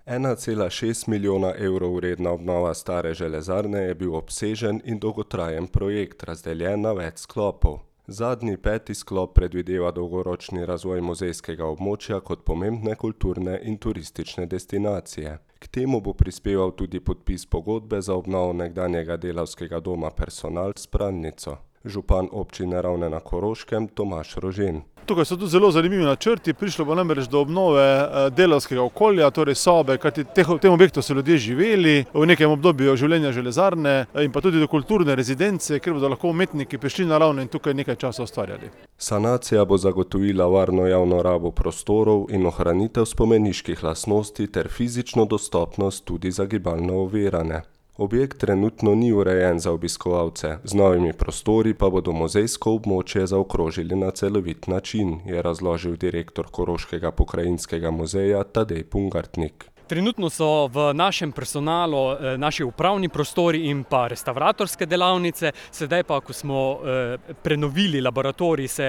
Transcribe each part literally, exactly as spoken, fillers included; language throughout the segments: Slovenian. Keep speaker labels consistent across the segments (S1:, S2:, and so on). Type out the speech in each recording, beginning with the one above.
S1: ena cela šest milijona evrov vredna obnova stare železarne je bil obsežen in dolgotrajen projekt, razdeljen na več sklopov. Zadnji, peti sklop predvideva dolgoročni razvoj muzejskega območja kot pomembne kulturne in turistične destinacije. K temu bo prispeval tudi podpis pogodbe za obnovo nekdanjega delavskega doma Personal s pralnico. Župan občine Ravne na Koroškem Tomaž Rožen.
S2: Tukaj so tudi zelo zanimivi načrti, prišlo bo namreč do obnove delavskega okolja, torej sobe, kajti v tem objektu so ljudje živeli v nekem obdobju življenja železarne in pa tudi do kulturne rezidence, kjer bodo lahko umetniki prišli na Ravne in tukaj nekaj časa ustvarjali.
S1: Sanacija bo zagotovila varno javno rabo prostorov in ohranitev spomeniških lastnosti ter fizično dostopnost tudi za gibalno ovirane. Objekt trenutno ni urejen za obiskovalce, z novimi prostori pa bodo muzejsko območje zaokrožili na celovit način, je razložil direktor Koroškega pokrajinskega muzeja Tadej Pungartnik.
S3: Trenutno so v našem personalu naši upravni prostori in pa restavratorske delavnice, sedaj pa, ko smo prenovili laboratorij, se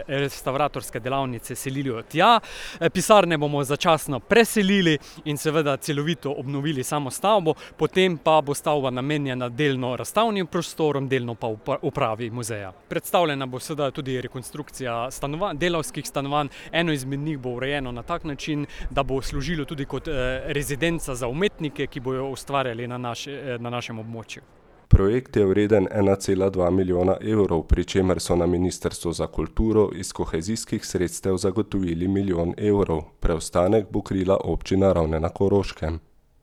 S3: restavratorske delavnice selijo tja. Pisarne bomo začasno preselili in seveda celovito obnovili samo stavbo, potem pa bo stavba namenjena delno razstavnim prostorom, delno pa upravi muzeja. Predstavljena bo seveda tudi rekonstrukcija stanovanj, delavskih stanovanj, eno izmed njih bo urejeno na tak način, da bo služilo tudi kot rezidenca za umetnike, ki bojo ustvarjali na, naš, na našem območju.
S1: Projekt je vreden ena cela dva milijona evrov, pri čemer so na Ministrstvu za kulturo iz kohezijskih sredstev zagotovili milijon evrov. Preostanek bo krila občina Ravne na Koroškem.